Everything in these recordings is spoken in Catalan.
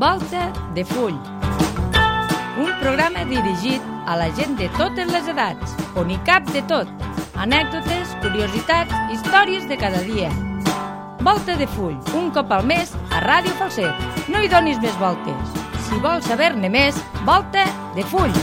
Volta de Full. Un programa dirigit a la gent de totes les edats, on hi cap de tot. Anècdotes, curiositats, històries de cada dia. Volta de Full, un cop al mes a Ràdio Falset. No hi donis més voltes. Si vols saber-ne més, Volta de Full.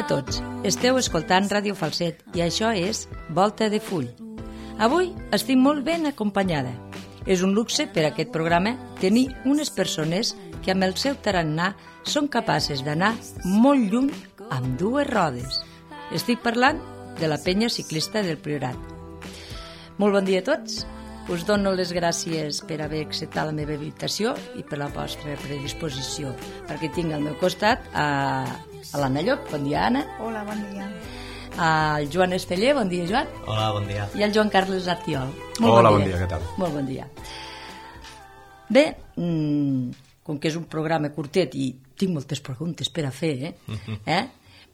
Tots. Esteu escoltant Ràdio Falset i això és Volta de Full. Avui estic molt ben acompanyada. És un luxe per a aquest programa tenir unes persones que amb el seu tarannà són capaces d'anar molt lluny amb dues rodes. Estic parlant de la penya ciclista del Priorat. Molt bon dia a tots. Us dono les gràcies per haver acceptat la meva invitació i per la vostra predisposició, perquè tinc al meu costat a l'Anna Llop. Bon dia, Anna. Hola, bon dia. Al Joan Esteller. Bon dia, Joan. Hola, bon dia. I al Joan Carles Artiol. Hola, bon dia, què tal? Molt bon dia. Bé, com que és un programa curtet i tinc moltes preguntes per a fer,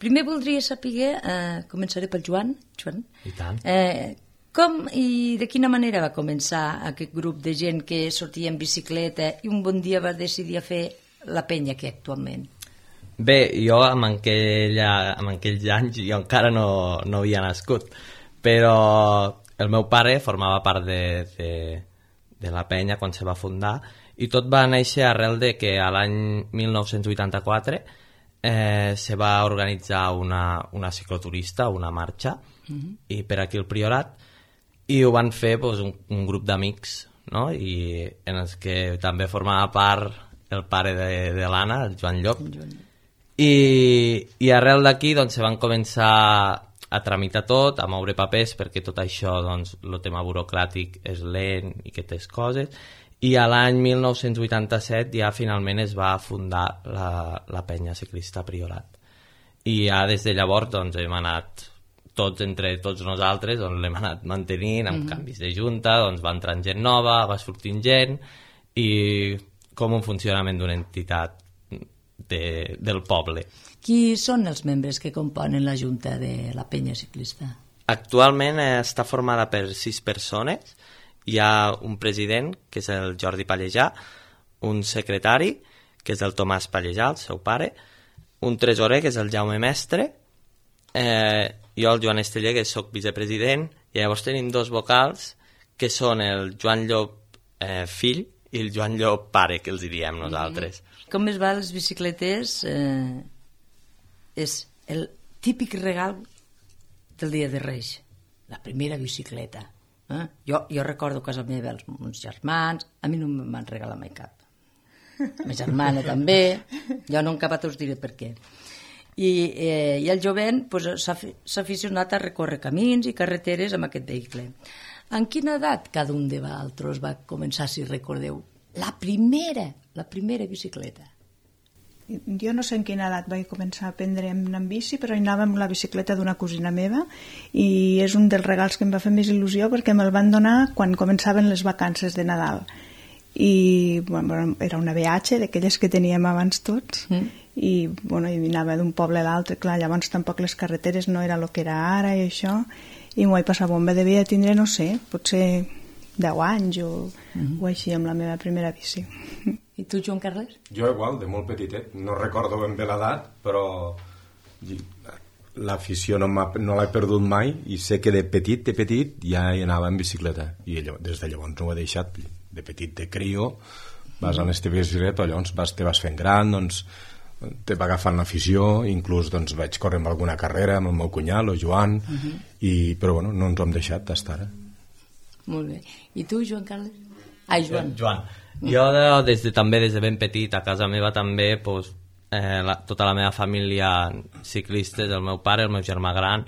primer voldria saber, començaré pel Joan. Joan. I tant. Com i de quina manera va començar aquest grup de gent que sortia en bicicleta i un bon dia va decidir a fer la penya que actualment? Bé, jo en aquells anys jo encara no havia nascut, però el meu pare formava part de la penya quan se va fundar i tot va néixer arrel de que a l'any 1984 se va organitzar una cicloturista, una marxa, i per aquí al Priorat, i ho van fer un grup d'amics, no? I en els que també formava part el pare de l'Anna, el Joan Llop, i arrel d'aquí doncs, se van començar a tramitar tot, a moure papers, perquè tot això, doncs, el tema burocràtic és lent i aquestes coses, i a l'any 1987 ja finalment es va fundar la penya ciclista Priorat. I ja des de llavors doncs, hem anat entre tots nosaltres, doncs l'hem anat mantenint amb canvis de junta, doncs va entrant gent nova, va sortint gent, i com un funcionament d'una entitat del poble. Qui són els membres que componen la junta de la penya ciclista? Actualment està formada per 6 persones. Hi ha un president, que és el Jordi Pallejà, un secretari, que és el Tomàs Pallejà, el seu pare, un tresorer, que és el Jaume Mestre, jo el Joan Esteller, que soc vicepresident, i llavors tenim 2 vocals, que són el Joan Llop fill i el Joan Llop pare, que els diem nosaltres. Com es va a les bicicletes? És el típic regal del dia de Reis, la primera bicicleta. Jo recordo a casa meva els meus germans, a mi no em van regalar mai cap. La meva germana també, jo no encara us diré per què. I el jovent s'ha aficionat a recórrer camins i carreteres amb aquest vehicle. En quina edat cada un de vosaltres va començar, si recordeu, la primera bicicleta? Jo no sé en quina edat vaig començar a aprendre en bici, però anava amb la bicicleta d'una cosina meva i és un dels regals que em va fer més il·lusió perquè me'l van donar quan començaven les vacances de Nadal. I era una BH d'aquelles que teníem abans tots i anava d'un poble a l'altre, clar, llavors tampoc les carreteres no era el que era ara i això, i m'ho vaig passar bomba, devia tindre, no sé, potser 10 anys o així amb la meva primera bici. I tu, Joan Carles? Jo igual, de molt petitet, no recordo ben bé l'edat, però l'afició no l'he perdut mai i sé que de petit ja hi anava en bicicleta i des de llavors no ho he deixat. De petit, de crio, vas a l'este bicicleta, llavors te vas fent gran, doncs te va agafant l'afició, inclús doncs, vaig córrer amb alguna carrera amb el meu cunyat, el Joan, però no ens ho hem deixat fins ara. Molt bé. I tu, Joan Carles? Ai, Joan. Jo des de ben petit, a casa meva també, tota la meva família ciclistes, el meu pare, el meu germà gran,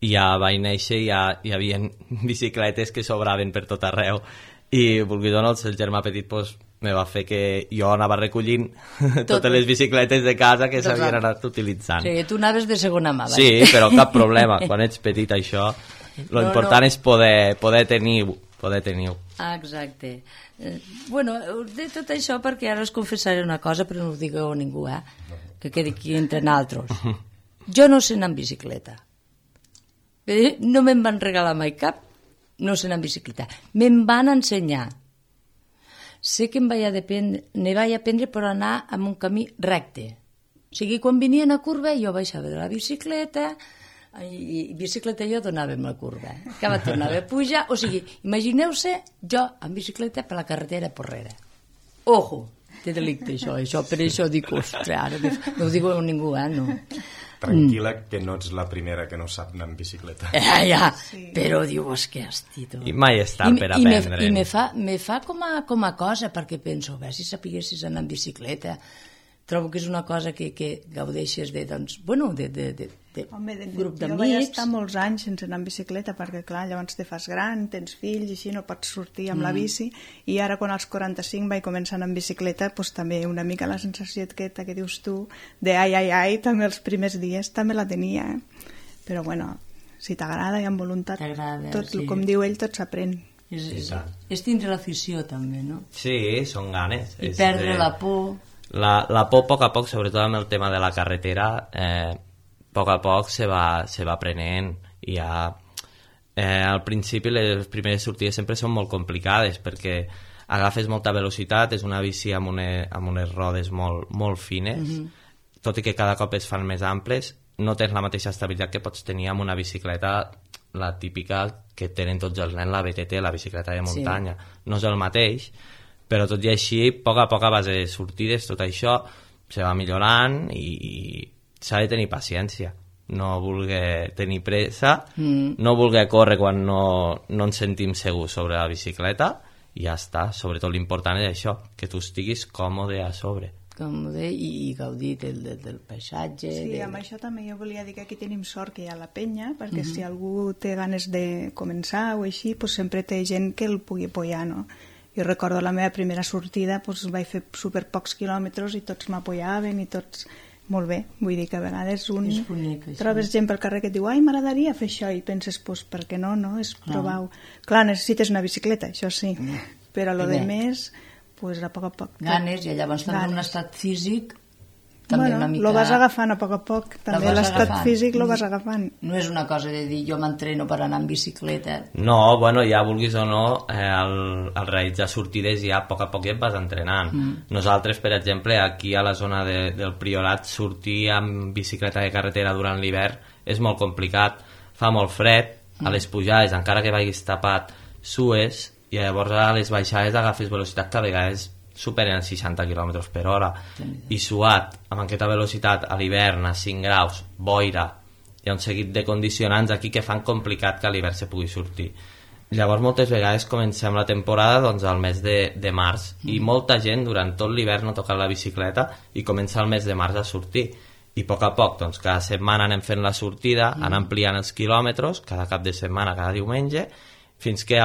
i ja vaig néixer i ja hi havia bicicletes que sobraven per tot arreu. I vulguis o no, el germà petit me va fer que jo anava recollint totes les bicicletes de casa que s'havien anat utilitzant. Sí, tu anaves de segona mà. Sí, però cap problema. Quan ets petit, això, lo important és poder tenir-ho. Exacte. Bueno, de tot això perquè ara us confessaré una cosa, però no ho digueu a ningú, que quedi aquí entre naltros. Jo no sé anar en bicicleta. No me'n van regalar mai cap, no sé anar en bicicleta. Me'n van ensenyar. Sé que ne vaig aprendre per anar en un camí recte. O sigui, quan venia una curva jo baixava de la bicicleta i bicicleta jo donava amb la curva. Que va tornar a pujar. O sigui, imagineu-se jo en bicicleta per la carretera porrera. Ojo, té delicte això. Per això dic, ostres, ara no ho diu a ningú, no. Tranquil·la, que no ets la primera que no sap anar en bicicleta. Ja, sí. Però dius que hòstia. I mai és tard per aprendre. I me fa com a cosa, perquè penso, si sapiguessis anar en bicicleta, trobo que és una cosa que gaudeixes de, doncs, bueno, de grup d'amics. Jo vaig estar molts anys sense anar en bicicleta, perquè clar, llavors te fas gran, tens fills i així, no pots sortir amb la bici, i ara quan als 45 vaig començar a anar en bicicleta, doncs també una mica la sensació aquesta que dius tu, de ai, també els primers dies també la tenia, Però bueno, si t'agrada i amb voluntat, tot, sí. Com diu ell, tot s'aprèn. És tindre l'afició també, no? Sí, són ganes. I perdre la por. La por a poc, sobretot amb el tema de la carretera, a poc se va aprenent. I ja, al principi les primeres sortides sempre són molt complicades perquè agafes molta velocitat, és una bici amb unes rodes molt fines, tot i que cada cop es fan més amples, no tens la mateixa estabilitat que pots tenir amb una bicicleta, la típica que tenen tots els nens, la BTT, la bicicleta de muntanya. Sí. No és el mateix, però tot i així, a poc a base de sortides, tot això se va millorant i s'ha de tenir paciència. No voler tenir pressa, no voler córrer quan no ens sentim segurs sobre la bicicleta i ja està. Sobretot l'important és això, que tu estiguis còmode a sobre. Còmode i gaudir del paisatge. Sí, amb això també jo volia dir que aquí tenim sort que hi ha la penya, perquè si algú té ganes de començar o així, pues sempre té gent que el pugui apoyar, no? Jo recordo la meva primera sortida, pues vaig fer super pocs quilòmetres i tots m'apoyaven i tots... Molt bé, vull dir que a vegades trobes gent pel carrer que et diu ai, m'agradaria fer això, i penses, pues, per què no? És provar-ho. Clar, necessites una bicicleta, això sí, però lo de més, pues, a poc. Ganes, i llavors també un estat físic també una mica... Lo vas agafant a poc, també l'estat físic lo vas agafant. No és una cosa de dir jo m'entreno per anar en bicicleta. No, bueno, ja vulguis o no, al realitzar sortides ja a poc ja et vas entrenant. Nosaltres, per exemple, aquí a la zona del Priorat, sortir amb bicicleta de carretera durant l'hivern és molt complicat, fa molt fred, a les pujades, encara que vagis tapat, sues, i llavors a les baixades agafes velocitat que a vegades superen 60 km per hora i suat amb aquesta velocitat a l'hivern a 5 graus, boira, hi ha un seguit de condicionants aquí que fan complicat que a l'hivern se pugui sortir. Llavors moltes vegades comencem la temporada doncs, al mes de març i molta gent durant tot l'hivern no toca la bicicleta i comença el mes de març a sortir i a poc, doncs, cada setmana anem fent la sortida, anem ampliant els quilòmetres cada cap de setmana, cada diumenge, fins que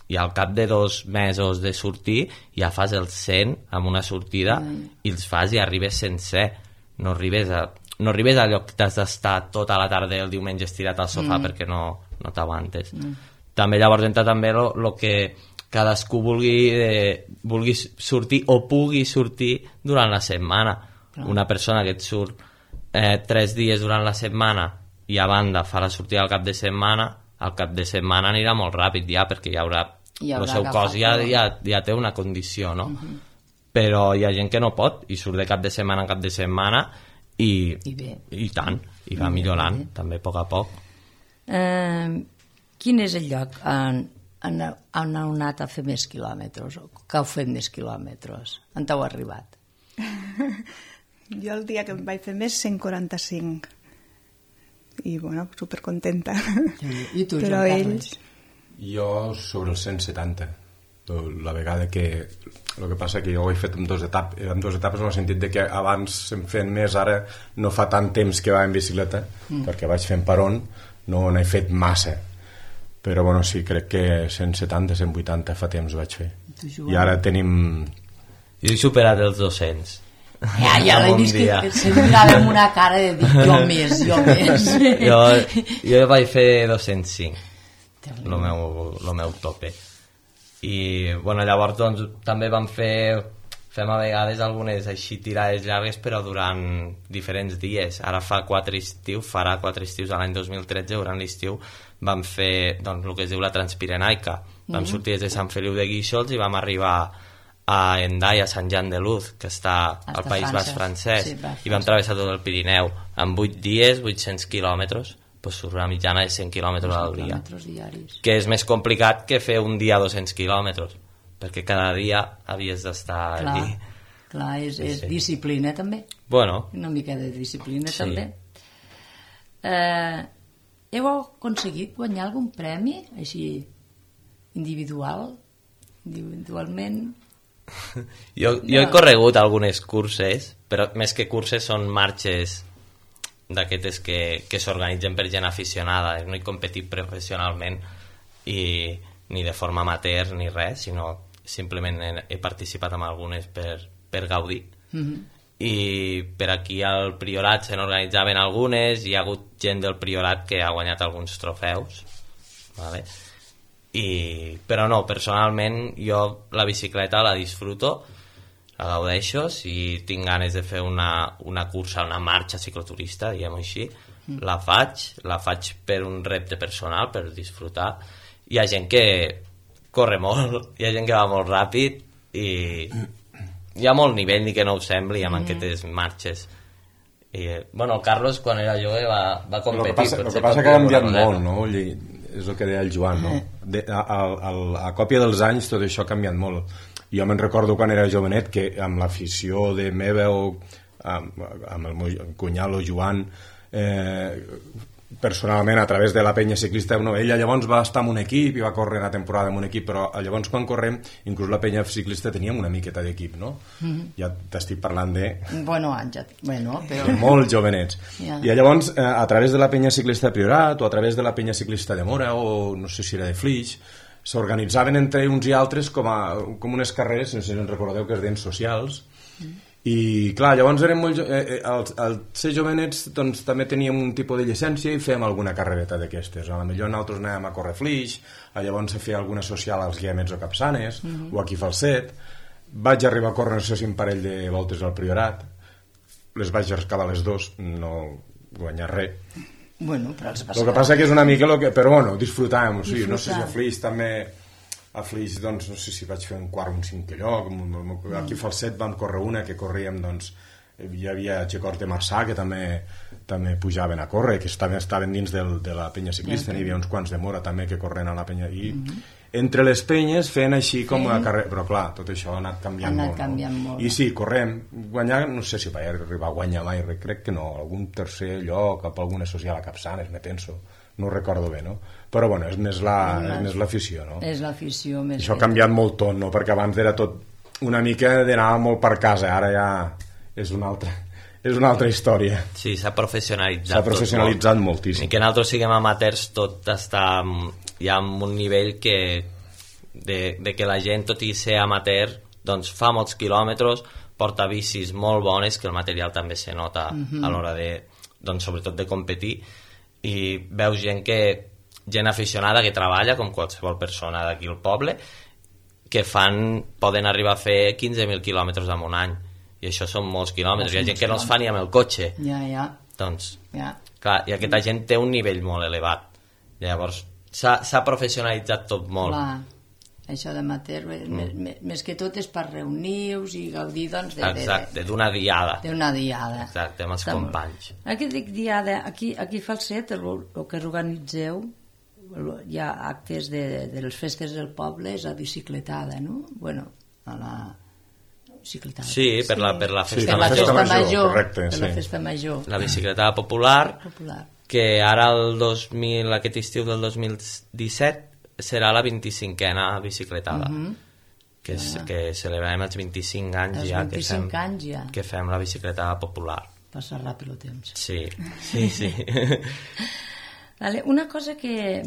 i al cap de 2 mesos de sortir ja fas el 100 amb una sortida i els fas i arribes sencer, no arribes a lloc que t'has d'estar tota la tarda el diumenge estirat al sofà perquè no t'aguantes. També llavors entra també el que cadascú vulgui sortir o pugui sortir durant la setmana. Una persona que et surt 3 dies durant la setmana i a banda fa la sortida al cap de setmana, al cap de setmana anirà molt ràpid ja perquè el seu cos ja té una condició, no? Però hi ha gent que no pot i surt de cap de setmana en cap de setmana i tant, i va millorant també a poc. Quin és el lloc on heu anat a fer més quilòmetres o que heu fet més quilòmetres? On heu arribat? Jo el dia que em vaig fer més 145 i bueno, supercontenta. I tu, però ells... Jo sobre els 170 la vegada que el que passa que jo ho he fet en 2 etapes en el sentit de que abans em feien més, ara no fa tant temps que va en bicicleta perquè vaig fent per on no n'he fet massa, però bueno, sí, crec que 170, 180 fa temps vaig fer i ara tenim Jo he superat els 200. Ja l'he vist que se mirava amb una cara de dir jo més. Jo vaig fer 205, el meu tope. I bueno, llavors doncs, també fem a vegades algunes així tirades llargues, però durant diferents dies. Ara farà 4 estius a l'any 2013, durant l'estiu vam fer doncs, el que es diu la Transpirenaica. Vam sortir des de Sant Feliu de Guíxols i vam arribar a Hendaye, a Sant Jan de Luz, que està al País Basc francès, i vam travessar tot el Pirineu en 8 dies, 800 quilòmetres, pues surt una mitjana de 100 quilòmetres al dia, que és més complicat que fer un dia 200 quilòmetres, perquè cada dia havies d'estar allí. Clar, és disciplina també. Bueno. Una mica de disciplina també. Heu aconseguit guanyar algun premi així individualment? Jo he corregut algunes curses, però més que curses són marxes d'aquestes que s'organitzen per gent aficionada. No he competit professionalment ni de forma amateur ni res, sinó simplement he participat en algunes per gaudir. I per aquí al Priorat se n'organitzaven algunes, hi ha hagut gent del Priorat que ha guanyat alguns trofeus, vale? Però no, personalment jo la bicicleta la disfruto, la gaudeixo. Si tinc ganes de fer una cursa, una marxa cicloturista, diguem-ho així, la faig per un repte personal, per disfrutar. Hi ha gent que corre molt, hi ha gent que va molt ràpid i hi ha molt nivell, ni que no ho sembli, amb aquestes marxes. Bueno, el Carlos quan era jove va competir. El que passa que ha canviat molt, no? És el que deia el Joan, no? A còpia dels anys tot això ha canviat molt. Jo me'n recordo quan era jovenet que amb l'afició de meva o amb el meu cunyat o Joan, personalment a través de la penya ciclista, ella llavors va estar en un equip i va córrer una temporada en un equip, però llavors quan correm inclús la penya ciclista teníem una miqueta d'equip, no? Ja t'estic parlant de però molt jovenets. I llavors a través de la penya ciclista de Priorat o a través de la penya ciclista de Mora o no sé si era de Flix, s'organitzaven entre uns i altres com unes carreres, no sé si en recordeu, que es deien socials. I clar, llavors érem molt al ser jovenets doncs també teníem un tipus de llicència i fèiem alguna carrereta d'aquestes. A la millor nosaltres anàvem a córrer Flix, llavors a fer alguna social als Guiamets o Capçanes, o aquí Falset. Vaig arribar a córrer, no sé si un parell de voltes al Priorat, les vaig acabar les dos, no guanyar res. Bueno, però el que passa que és una mica però bueno, disfrutàvem, o sigui, no sé si a Flix també. A Flix, doncs, no sé si vaig fer un quart o un cinquè lloc. Aquí a Falset vam córrer una que corríem, doncs, hi havia Xecors de Marçà que també pujaven a córrer, que estaven dins de la penya ciclista, n'hi havia uns quants de Mora també que corren a la penya, i entre les penyes fent així com a carrer, però clar, tot això ha anat canviant molt. I sí, correm, guanyar, no sé si vaig arribar a guanyar mai, crec que no, algun tercer lloc, cap alguna social a Capçanes, me penso. No ho recordo bé, no? Però bueno, és més l'afició, no? És l'afició més. Això ha canviat molt tot, no? Perquè abans era tot una mica d'anar molt per casa, ara ja és una altra història. Sí, s'ha professionalitzat. S'ha professionalitzat moltíssim. I que nosaltres siguem amateurs, tot està ja en un nivell de que la gent, tot i ser amateur, doncs fa molts quilòmetres, porta bicis molt bones, que el material també se nota a l'hora de, doncs, sobretot de competir, i veus gent aficionada que treballa com qualsevol persona d'aquí al poble, que poden arribar a fer 15.000 quilòmetres en un any, i això són molts quilòmetres. Hi ha gent que no els fa ni amb el cotxe. Doncs, clar, i aquesta gent té un nivell molt elevat. Llavors s'ha professionalitzat tot molt. Clar, això d'amateur més que tot és per reunir-vos i gaudir, doncs, exacte, d'una diada. Exacte, amb els companys. Aquí dic diada, aquí a Falset el que organitzeu, hi ha actes de les festes del poble, és la bicicletada, no? Bueno, a la bicicletada. Sí, per la festa major. Correcte, per la festa major. La bicicletada popular, que ara aquest estiu del 2017 serà la 25a bicicletada, que celebrem els 25 anys que fem la bicicletada popular. Passa ràpid el temps. Sí. Vale, una cosa que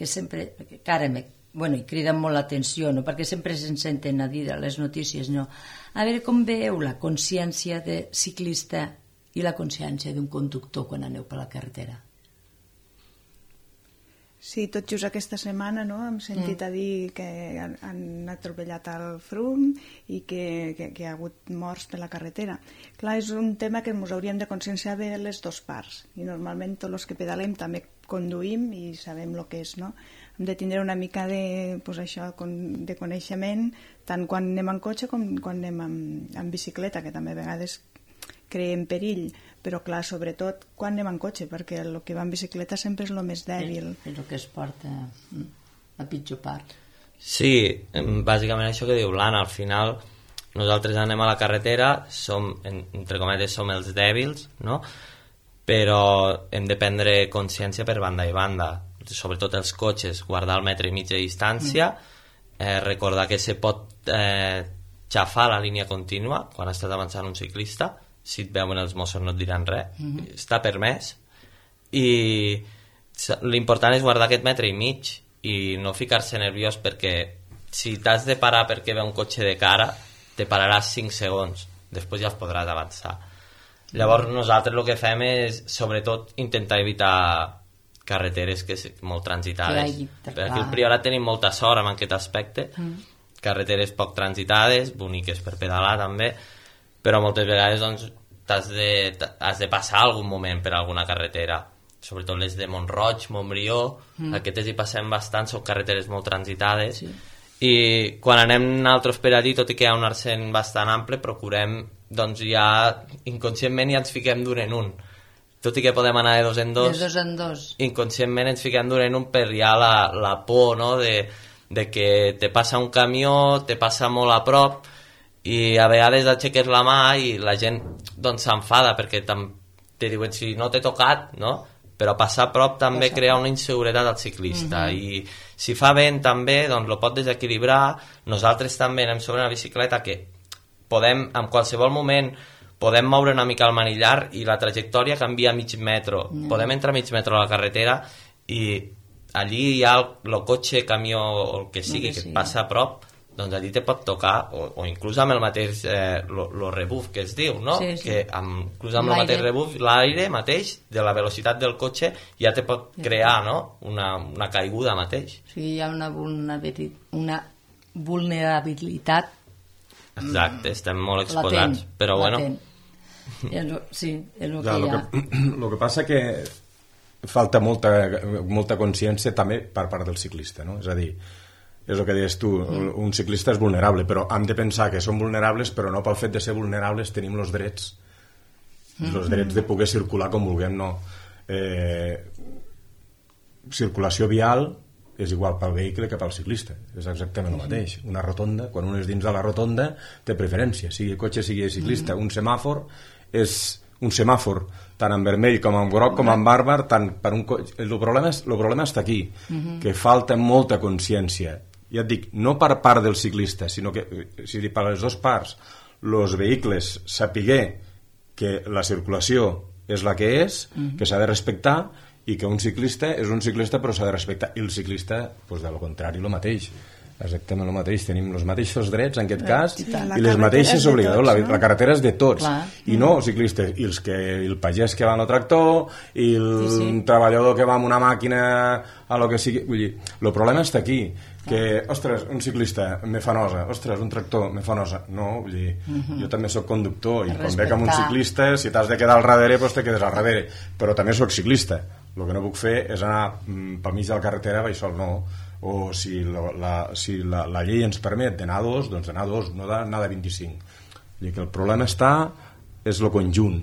sempre, que ara i criden molt l'atenció, no? Perquè sempre se'n senten a dir a les notícies, no? A veure com veieu la consciència de ciclista i la consciència d'un conductor quan aneu per la carretera. Sí, tot just aquesta setmana, no?, hem sentit a dir que han atropellat el Frum i que hi ha hagut morts per la carretera. Clar, és un tema que ens hauríem de conscienciar de les dues parts, i normalment tots els que pedalem també conduïm i sabem el que és, no? Hem de tindre una mica de coneixement tant quan anem en cotxe com quan anem en bicicleta, que també a vegades creem perill, però clar, sobretot quan anem en cotxe, perquè el que va en bicicleta sempre és el més dèbil. És el que es porta a pitjor part. Sí, bàsicament això que diu l'Anna, al final nosaltres anem a la carretera, entre cometes som els dèbils, no? Però hem de prendre consciència per banda i banda, sobretot els cotxes, guardar el metre i mig de distància, recordar que se pot xafar la línia contínua quan estàs avançant un ciclista. Si et veuen els Mossos no et diran res, està permès, i l'important és guardar aquest metre i mig i no ficar-se nerviós, perquè si t'has de parar perquè ve un cotxe de cara te pararàs 5 segons, després ja es podràs avançar. Llavors nosaltres el que fem és sobretot intentar evitar carreteres molt transitades, perquè aquí al Priorat tenim molta sort en aquest aspecte, carreteres poc transitades, boniques per pedalar també, però moltes vegades doncs, has de passar algun moment per alguna carretera, sobretot les de Montroig, Montbrió, aquestes hi passem bastant, són carreteres molt transitades, i quan anem nosaltres per allí, tot i que hi ha un arsent bastant ample, procurem, doncs ja inconscientment ja ens fiquem d'un en un, tot i que podem anar de dos en dos, inconscientment ens fiquem d'un en un per ja la por, no?, de que te passa un camió, te passa molt a prop, i a vegades aixeques la mà i la gent doncs s'enfada perquè te diuen si no t'he tocat, no? Però passar a prop també crea una inseguretat al ciclista, i si fa vent també doncs lo pot desequilibrar. Nosaltres també anem sobre una bicicleta que podem, en qualsevol moment podem moure una mica el manillar i la trajectòria canvia mig metro, podem entrar mig metro a la carretera i allí hi ha el cotxe, camió o el que sigui que et passa a prop, doncs allí te pot tocar, o inclús amb el mateix lo rebuff que es diu, no? Que inclús amb el mateix rebuff, l'aire mateix de la velocitat del cotxe ja te pot crear, no?, una caiguda mateix. O sigui, hi ha una vulnerabilitat. Exacte, estem molt exposats, però bueno. Sí, és el que hi ha. El que passa que falta molta consciència també per part del ciclista, no? És a dir, és el que deies tu, un ciclista és vulnerable, però hem de pensar que som vulnerables, però no pel fet de ser vulnerables tenim els drets de poder circular com vulguem, no. Circulació vial és igual pel vehicle que pel ciclista, és exactament el mateix. Una rotonda, quan un és dins de la rotonda té preferència, sigui cotxe, sigui ciclista. Un semàfor és un semàfor tant en vermell com en groc com en bàrbar, tant per un cotxe. El problema està aquí, que falta molta consciència, ja et dic, no per part del ciclista, sinó que per les dues parts, els vehicles sapiguer que la circulació és la que és, que s'ha de respectar, i que un ciclista és un ciclista però s'ha de respectar, i el ciclista, doncs, del contrari, el mateix, exactament el mateix, tenim els mateixos drets en aquest cas i les mateixes obligacions, la carretera és de tots, i no els ciclistes, i el pagès que va en el tractor i el treballador que va amb una màquina a lo que sigui, vull dir, el problema està aquí, que, ostres, un ciclista me fa nosa, ostres, un tractor me fa nosa, no, vull dir, jo també soc conductor i quan veig amb un ciclista, si t'has de quedar al darrere, doncs te quedes al darrere, però també soc ciclista, el que no puc fer és anar pel mig de la carretera vaig sol, no, o si la llei ens permet d'anar a dos, doncs d'anar a dos, no d'anar de 25. Vull dir que el problema és el conjunt,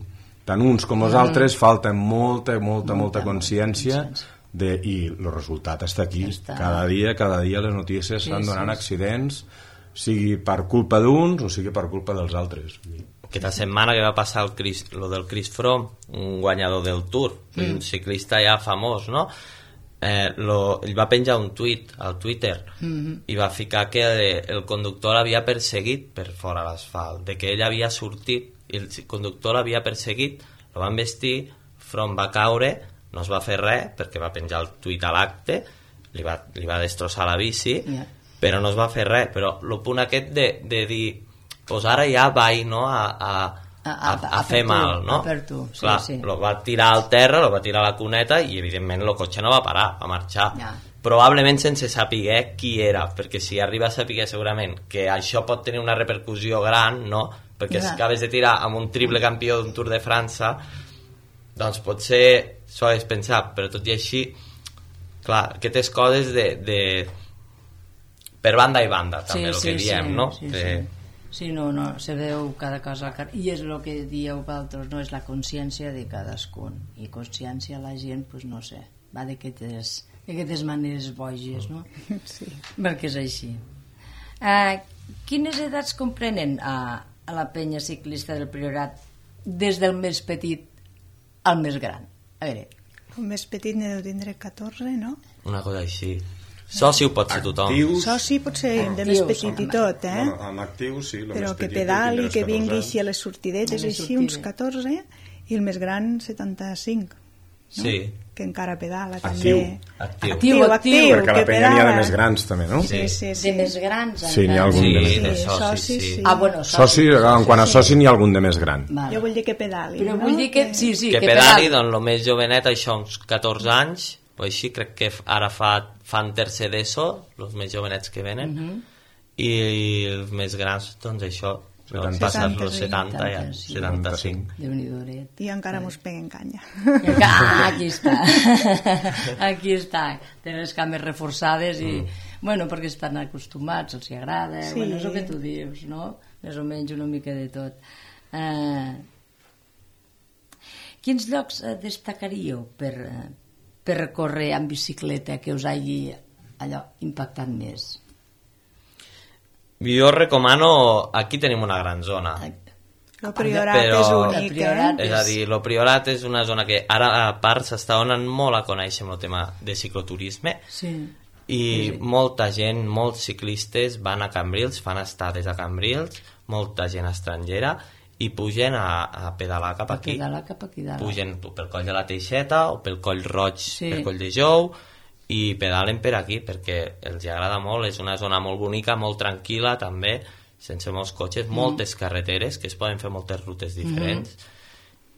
tant uns com els altres falta molta consciència i el resultat està aquí. Cada dia les notícies estan donant accidents, sigui per culpa d'uns o sigui per culpa dels altres. Aquesta setmana que va passar lo del Chris Froome, un guanyador del Tour, un ciclista ja famós, no? Ell va penjar un tuit al Twitter i va ficar que el conductor l'havia perseguit per fora l'asfalt, de que ell havia sortit i el conductor l'havia perseguit, el van vestir, Froome va caure, no es va fer res perquè va penjar el tuit a l'acte, li va destrossar la bici, però no es va fer res. Però el punt aquest de dir, pues ara ja vaig, no, a fer mal, no? Per tu, sí, clar, sí. Lo va tirar al terra, lo va tirar a la cuneta i evidentment el cotxe no va parar, va marxar. Ja. Probablement sense saber qui era, perquè si arriba a saber segurament que això pot tenir una repercussió gran, no? Perquè si acabes de tirar amb un triple campió d'un Tour de França, doncs potser s'ho hagués pensat, però tot i així, clar, aquestes coses de per banda i banda, també, el que diem, no? Sí, no, se veu cada cosa i és el que dieu vosaltres, no? És la consciència de cadascun, i consciència la gent, pues no sé, va d'aquestes maneres boges, no? Sí. Perquè és així. Quines edats comprenen a la penya ciclista del Priorat des del més petit al més gran? A veure... El més petit ne deu tindre 14, no? Una cosa així. Soci ho pot ser tothom. Soci pot ser de més petit i tot, Bueno, amb actius, sí. Però que pedali, que vingui així a les sortidetes, així, uns 14, i el més gran, 75. No? Sí. Que encara pedala, també. Actiu. Perquè a la penya n'hi ha de més grans, també, no? Sí. De més grans, sí, n'hi ha algun de més grans. Soci, sí. Bueno, soci, en quant a soci n'hi ha algun de més gran. Vale. Jo vull dir que pedali, però no? Vull dir que, sí, que pedali, doncs el més jovenet, això, uns 14 anys, o així, crec que ara fan tercer d'ESO, els més jovenets que venen, i els més grans, doncs això, passar los 70 ja, 75. Déu-n'hi-do. I encara mos peguen canya. Aquí està. Aquí està. Tenen les cames reforçades i... Bueno, perquè estan acostumats, els hi agrada. Sí. Bueno, és el que tu dius, no? Més o menys una mica de tot. Quins llocs destacaríeu per recórrer amb bicicleta que us hagi allò impactat més? Jo recomano, aquí tenim una gran zona. El Priorat és únic, És a dir, el Priorat és una zona que ara a part s'està donant molt a conèixer amb el tema de cicloturisme, i molta gent, molts ciclistes van a Cambrils, fan estades a Cambrils, molta gent estrangera, i pugen a pedalar cap aquí. Pugen pel coll de la Teixeta o pel coll Roig, per coll de Jou, i pedalen per aquí perquè els agrada molt. És una zona molt bonica, molt tranquil·la també, sense molts cotxes, moltes carreteres que es poden fer moltes rutes diferents.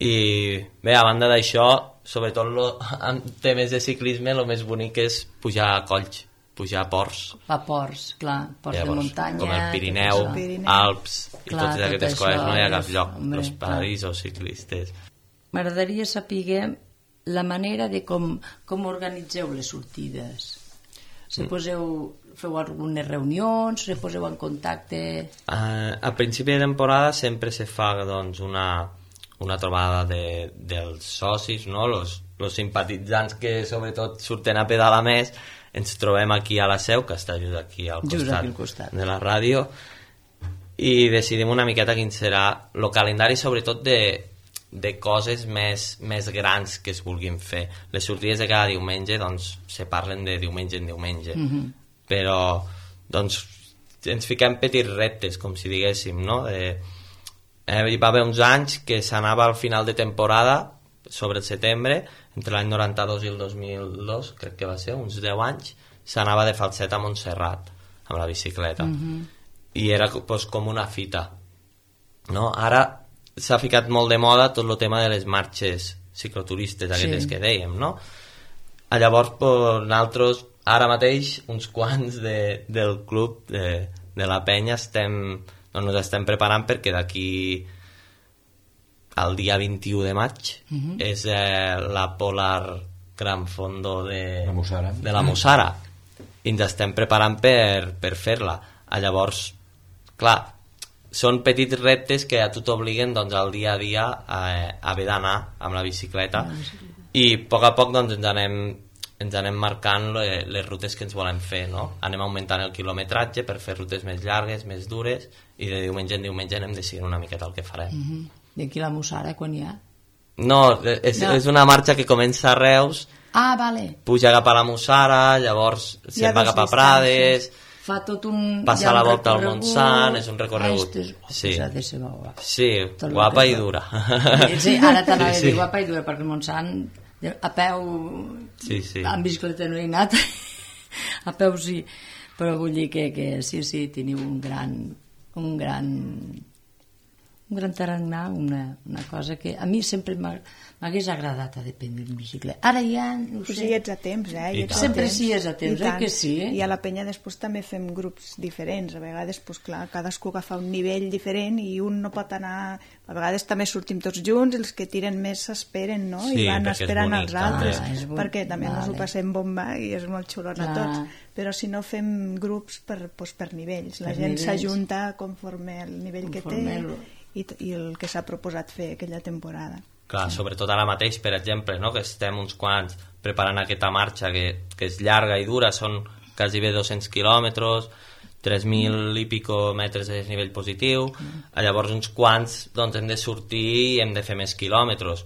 I bé, a banda d'això, sobretot en temes de ciclisme, el més bonic és pujar a colls, pujar a ports. A ports, clar, ports de muntanya, com el Pirineu, Alps, i totes aquestes coses, no hi ha cap lloc, els paradisos ciclistes. M'agradaria saber la manera de com organitzeu les sortides. Feu algunes reunions, se poseu en contacte? A principi de temporada sempre se fa doncs, una trobada dels socis, no? Los simpatitzants que sobretot surten a pedalar més, ens trobem aquí a la seu, que està just aquí al costat de la ràdio, i decidim una miqueta quin serà el calendari, sobretot de coses més grans que es vulguin fer. Les sortides de cada diumenge doncs, se parlen de diumenge en diumenge, però doncs, ens fiquem petits reptes, com si diguéssim, no? Hi va haver uns anys que s'anava al final de temporada, sobre el setembre, entre l'any 92 i el 2002, crec que va ser, uns 10 anys, s'anava de Falset a Montserrat amb la bicicleta, i era doncs, com una fita, no? Ara s'ha ficat molt de moda tot el tema de les marxes cicloturistes aquestes que dèiem, no? Llavors, nosaltres, ara mateix, uns quants del club de la penya ens estem preparant perquè d'aquí al dia 21 de maig és la Polar Gran Fondo de la Mussara, i ens estem preparant per fer-la. Llavors, clar, són petits reptes que a tu t'obliguen doncs, al dia a dia a haver d'anar amb la bicicleta, i a poc doncs, ens anem marcant les rutes que ens volem fer, no? Anem augmentant el quilometratge per fer rutes més llargues, més dures, i de diumenge en diumenge anem decidint una miqueta el que farem. I aquí la Mussara, quan hi ha? No, és una marxa que comença a Reus, puja cap a la Mussara, llavors se'n va cap a Prades, fa tot passa la volta al Montsant, és un recorregut. Sí, guapa i dura. Sí, ara t'anava a dir guapa i dura, perquè el Montsant a peu amb bicicleta no he anat, A peu sí, però vull dir que sí, teniu un gran tarannà, una cosa que a mi sempre m'hagués agradat a dependre en bicicleta. Ara ja no ho sé. Sí, ets a temps, Sempre sí és a temps, que sí. I a la penya després també fem grups diferents. A vegades, doncs clar, cadascú agafa un nivell diferent i un no pot anar... A vegades també sortim tots junts, els que tiren més s'esperen, no? Sí, I van esperant els altres, perquè també ens ho passem bomba i és molt xulon a tots. Però si no fem grups per nivells. La gent s'ajunta conforme el nivell que té i el que s'ha proposat fer aquella temporada. Clar, sobretot ara mateix, per exemple, no? Que estem uns quants preparant aquesta marxa que és llarga i dura, són quasi bé 200 quilòmetres, 3.000 i pico metres de nivell positiu, llavors uns quants doncs, hem de sortir i hem de fer més quilòmetres.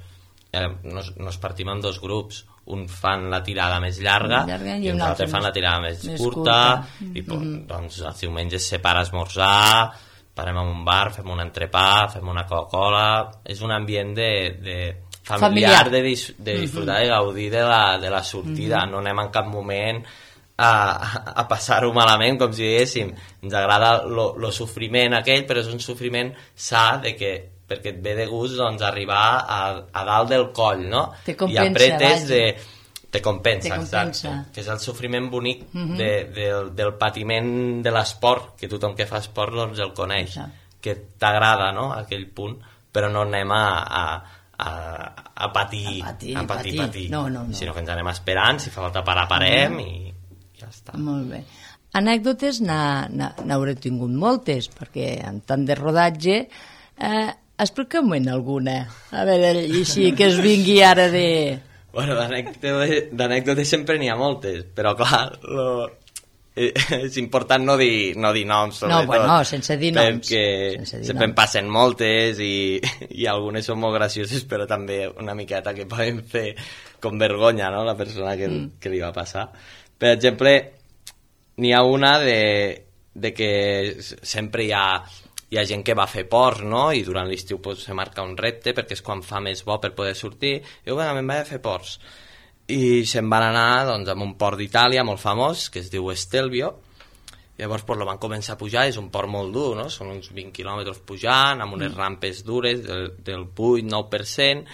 Nos partim en dos grups, un fan la tirada més llarga i uns altres fan la tirada més curta. I doncs els diumenges se para a esmorzar, parem en un bar, fem un entrepà, fem una Coca-Cola. És un ambient de familiar, de disfrutar i gaudir de la sortida. No anem en cap moment a passar-ho malament, com si diguéssim. Ens agrada lo sofriment aquell, però és un sofriment sa perquè et ve de gust doncs, arribar a dalt del coll, no? Te compensa, i apretes te compensa, exacte. Que és el sofriment bonic del patiment de l'esport, que tothom que fa esport doncs el coneix, que t'agrada, no?, aquell punt, però no anem a patir, no. Sinó que ens anem esperant, si fa falta parar, parem i ja està. Molt bé. Anècdotes n'hauré tingut moltes, perquè en tant de rodatge explica'm-en alguna, a veure, així que es vingui ara de... Bueno, d'anècdotes sempre n'hi ha moltes, però clar, és important no dir noms, sobretot. No, bueno, sense dir noms. Perquè sempre em passen moltes i algunes són molt gracioses, però també una miqueta que poden fer com vergonya, no?, la persona que li va passar. Per exemple, n'hi ha una de que sempre hi ha gent que va fer ports, no?, i durant l'estiu pues, se marca un repte perquè és quan fa més bo per poder sortir, i diu, vinga, me'n vaig a fer ports. I se'n van anar doncs, a un port d'Itàlia molt famós, que es diu Stelvio. Llavors pues, lo van començar a pujar, és un port molt dur, no?, són uns 20 quilòmetres pujant, amb unes rampes dures del 8-9%,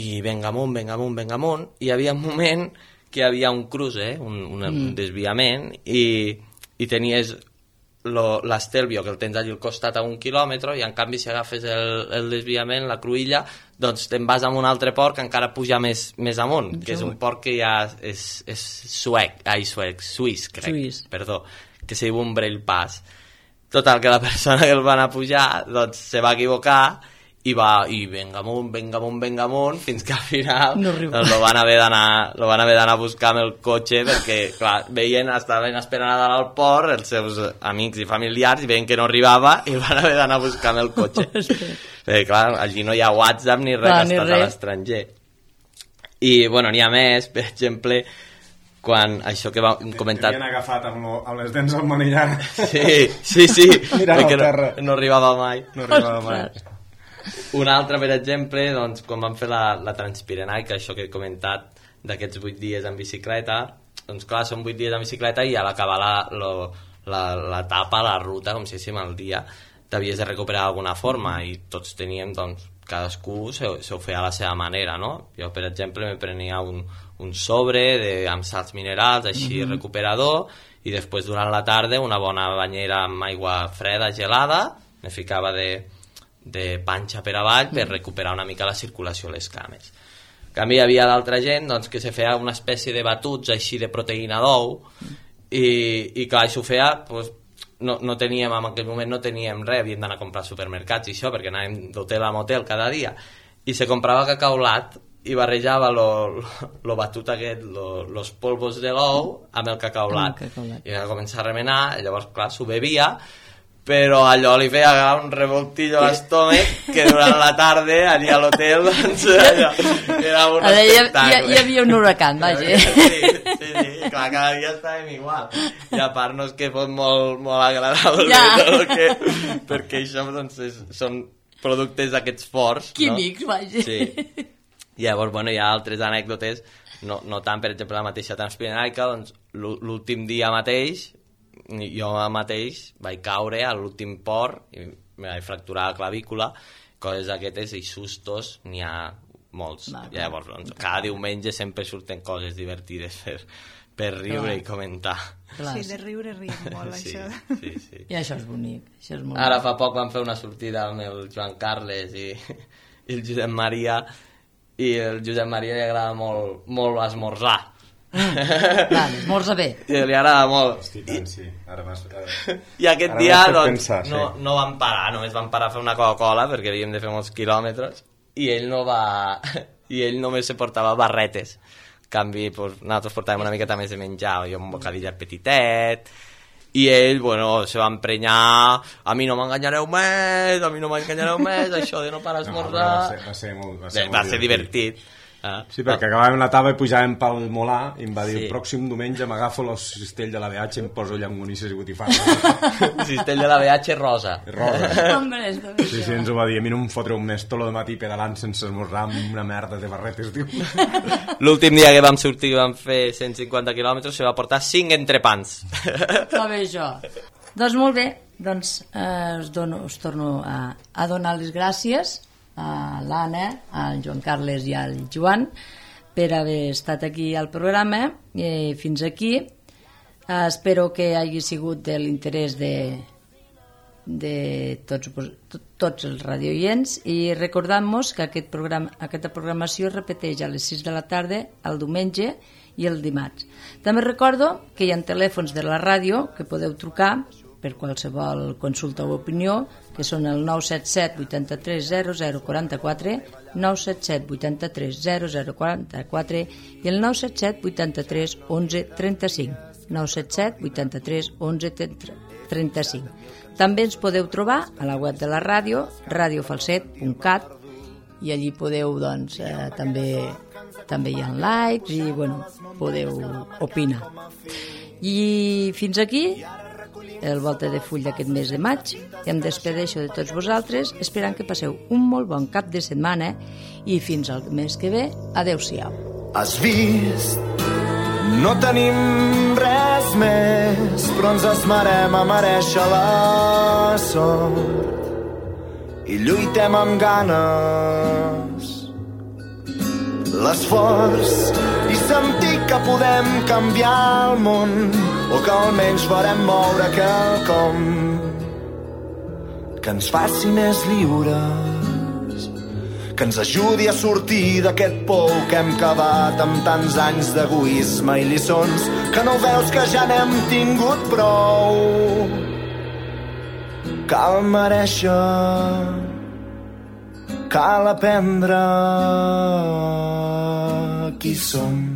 i venga amunt, i hi havia un moment que hi havia un cruce, un desviament, i tenies l'Stelvio, que el tens allà al costat a 1 quilòmetre, i en canvi si agafes el desviament, la cruïlla, doncs te'n vas a un altre port que encara puja més amunt, que és un port que ja és suís, crec, perdó, que se diu un Umbrell Pass. Total, que la persona que el va anar a pujar doncs se va equivocar i venga amunt, fins que al final doncs, lo van haver d'anar a buscar amb el cotxe, perquè clar, estaven esperant a dalt al port els seus amics i familiars i veien que no arribava i van haver d'anar a buscar amb el cotxe. Perquè clar, allí no hi ha WhatsApp ni res, que estàs a l'estranger. I bueno, n'hi ha més, per exemple, quan això que vam comentar... T'havien agafat amb les dents al manillar. Sí, mirant al terra. No arribava mai. Una altra, per exemple, doncs, quan vam fer la Transpirenaica, això que he comentat d'aquests 8 dies en bicicleta, doncs clar, són 8 dies en bicicleta i a l'acabar l'etapa, la ruta, com si diguéssim el dia, t'havies de recuperar d'alguna forma i tots teníem, doncs, cadascú se ho feia a la seva manera, no? Jo, per exemple, me prenia un sobre amb salts minerals, així recuperador, i després durant la tarda una bona banyera amb aigua freda, gelada, me ficava de panxa per avall per recuperar una mica la circulació a les cames. En canvi, hi havia d'altra gent doncs, que se feia una espècie de batuts així de proteïna d'ou i clar, això ho feia doncs, no teníem, en aquell moment no teníem res, havíem d'anar a comprar supermercats i això, perquè anàvem d'hotel a motel cada dia, i se comprava cacaulat i barrejava lo batut aquest, los polvos de l'ou amb el cacaulat. I va començar a remenar, i llavors, clar, s'ho bevia, però allò li feia un revoltillo a l'estómac que durant la tarda allà a l'hotel doncs, allò, era un espectacle. Hi havia un huracan, vaja. Sí, clar, cada dia estàvem igual. I a part no és que fos molt agradable, perquè això doncs, són productes d'aquests forts. Químics, vaja. Sí. I llavors, bueno, hi ha altres anècdotes, no tant, per exemple, la mateixa Transpirenaica, doncs, l'últim dia mateix, jo mateix vaig caure a l'últim port i me vaig fracturar la clavícula, coses d'aquestes i sustos n'hi ha molts. Llavors, doncs, cada diumenge sempre surten coses divertides per riure i comentar. Sí, de riure riem molt, això. Sí. I això és bonic. Això és molt Ara fa poc vam fer una sortida amb el Joan Carles i el Josep Maria, i el Josep Maria li agrada molt esmorzar. Esmorza bé. I li agrada molt. Hosti, tant, sí. I aquest dia doncs, pensar, no vam parar, només vam parar a fer una Coca-Cola perquè havíem de fer molts quilòmetres i ell només se portava barretes. En canvi, pues, nosaltres portàvem una miqueta més de menjar, jo un bocadillet petitet, i ell, bueno, se va emprenyar, a mi no m'enganyareu més, això de no parar a esmorzar... Va ser divertit. Sí, perquè acabàvem la tava i pujàvem pel Molà i em va dir, el pròxim diumenge m'agafo el cistell de la BH i em poso llangonisses i botifarres. Cistell de la BH rosa. Hombre, sí, ens ho va dir, a mi no em fotreu més tot el matí pedalant sense esmorzar amb una merda de barretes, diu. L'últim dia que vam sortir, que vam fer 150 quilòmetres, se va portar 5 entrepans. Va bé això. Doncs molt bé, doncs us torno a donar les gràcies a l'Anna, al Joan Carles i al Joan per haver estat aquí al programa. Fins aquí. Espero que hagi sigut de l'interès de tots els radioients, i recordant-nos que aquesta programació es repeteix a les 6 de la tarda el diumenge i el dimarts. També recordo que hi ha telèfons de la ràdio que podeu trucar per qualsevol consulta o opinió, que són el 977 83 0044, 977 83 0044 i el 977 83 11 35, 977 83 11 35. També ens podeu trobar a la web de la ràdio, radiofalset.cat, i allí podeu, doncs, també hi ha likes i, bueno, podeu opinar. I fins aquí el Volta de Full d'aquest mes de maig. Em despedeixo de tots vosaltres, esperant que passeu un molt bon cap de setmana, i fins al mes que ve, adeu-siau. Has vist? No tenim res més, però ens esmerem a merèixer la sort i lluitem amb ganes. L'esforç i sentir que podem canviar el món, o que almenys farem moure quelcom que ens faci més lliures, que ens ajudi a sortir d'aquest pou que hem cavat amb tants anys d'egoisme i lliçons que no veus que ja n'hem tingut prou. Cal merèixer, cal aprendre qui som.